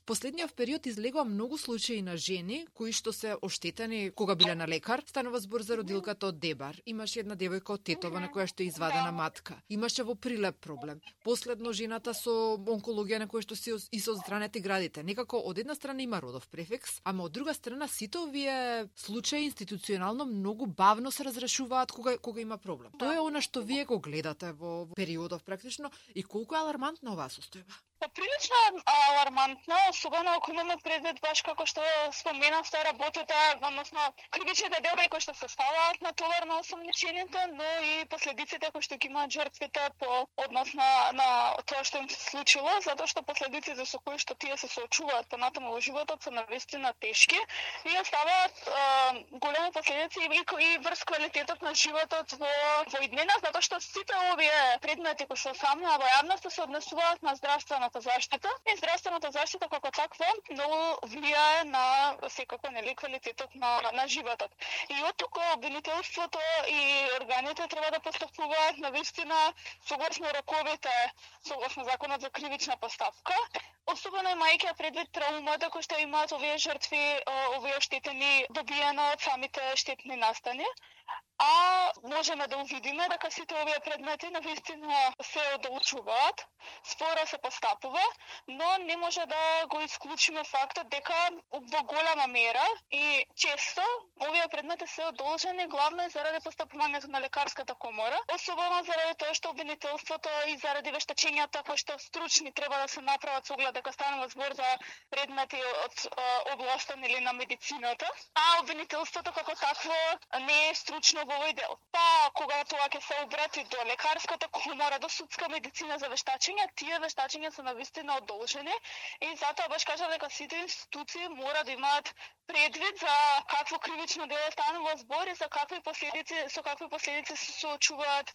Последниот период излегува многу случаи на жени кои што се оштетени кога биле на лекар. Станува збор за родилката од Дебар. Имаше една девојка од Тетово на која што е извадена матка. Имаше во Прилеп проблем. Последно жената со онкологија на која што се и со здраните градите. Некако од една страна има родов префикс, ама од друга страна сите овие случаи институционално многу бавно се разрешуваат кога има проблем. Тоа е она што вие го гледате во периодов практично и колку е алармантна оваа состојба. Прилично алармантно, особено ако имаме предвид баш како што споменавте работата, односно кривичните делби кои што се ставаат на товар на осомничените, но и последиците кои што ги имаат жртвите по однос на тоа што им се случило, затоа што последиците со кои што тие се соочуваат понатаму во животот се навистина тешки и оставаат големи последици и врз квалитетот на животот во иднина, затоа што сите овие предмети кои се самоа во јавноста се однесуваат на здравствената заштита и здравствената заштита како таква многу влијае на секако квалитетот на животот. И оттука обвинителството и органите треба да постапуваат навистина согласно роковите, согласно законот за кривична постапка, особено имајќи предвид траумата кои што имаат овие жртви, овие оштетени добиено од самите штетни настани. А можеме да увидиме дека сите овие предмети навистина се одолжуваат, спора се постапува, но не може да го исклучиме фактот дека во голема мера и често овие предмети се одолжени главно заради постапувањето на лекарската комора, особено заради тоа што обвинителството и заради вештачењата кои што стручни треба да се направат со оглед дека станува збор за предмети од областа или на медицината, а обвинителството како такво не е стручно во овој дел. Па, кога тоа ќе се обрати до лекарската комора, до судска медицина за вештачење, тие вештачења се навистина одолжени и затоа баш кажа дека сите институции мора да имаат предвид за какво кривично дело станува збор и со какви последици се соочуваат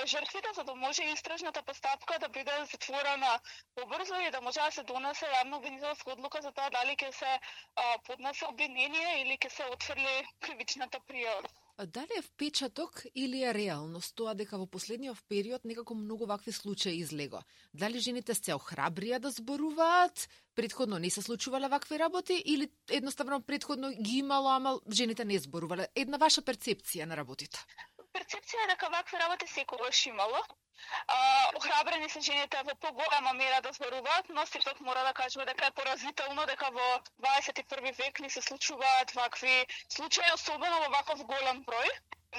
жртвите, за да може истражната постапка да биде затворена побрзо и да може да се донесе јавно обвинителска одлука за тоа дали ќе се поднесе обвинение или ќе се отфрли кривичната пријава. Дали е впечаток или е реалност тоа дека во последниот период некако многу вакви случаи излего? Дали жените се охрабрија да зборуваат? Претходно не се случувале вакви работи или едноставно претходно ги имало, ама жените не зборувале? Една ваша перцепција на работите? Перцепција е дека вакви работи секогаш имало. Охрабрени се жените во поголема мера да зборуваат, но сепак мора да кажеме дека е поразително дека во 21 век не се случуваат вакви случаи, особено во ваков голем број.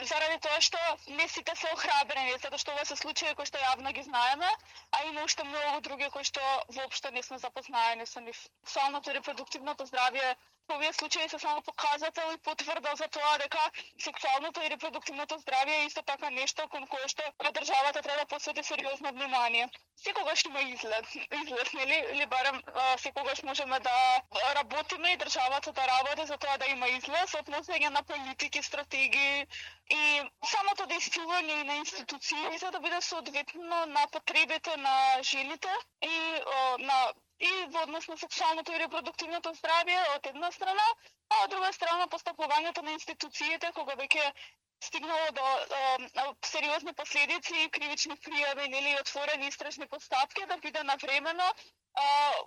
Заради тоа што не сите се охрабрени, затоа што ова се случаи кои што јавно ги знаеме, а има уште многу други кои што воопшто не сме запознаени со нив. Сексуалното и репродуктивното здравје овие случаи се само показател и потврда за тоа дека сексуалното и репродуктивното здравје е исто така нешто кон кое што државата треба да посвети сериозно внимание. Секогаш има излез, нели? Или барем секогаш можеме да работиме и државата да работи за тоа да има излез, однесење на политики, стратегии и самото действување на институциите да биде соодветно на потребите на жените и во однос на сексуалното и репродуктивното здравје од една страна, а од друга страна постапувањето на институциите кога веќе стигнало до сериозни последици и кривични пријави или отворени истражни постапки да биде навремено,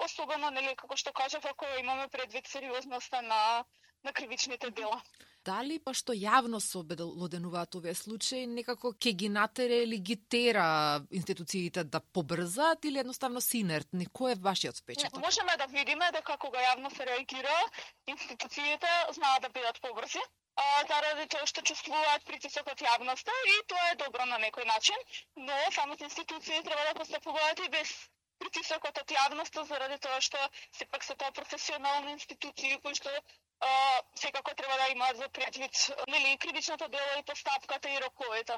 особено нели како што кажав ако имаме предвид сериозноста на кривичните дела. Дали па што јавно се обелоденуваат овие случаи, некако ќе ги натере или ги тера институциите да побрзаат или едноставно се инертни? Кој е вашиот впечаток? Можеме да видиме дека кога јавно се реагира, институциите знаат да бидат побрзи, заради тоа што чувствуваат притисок од јавноста и тоа е добро на некој начин, но самите институции треба да постапуваат и без притисокот од јавноста заради тоа што сепак се тоа професионални институции кои што секако треба да имаат за предвид нели кривичното дело и постапката и роковите.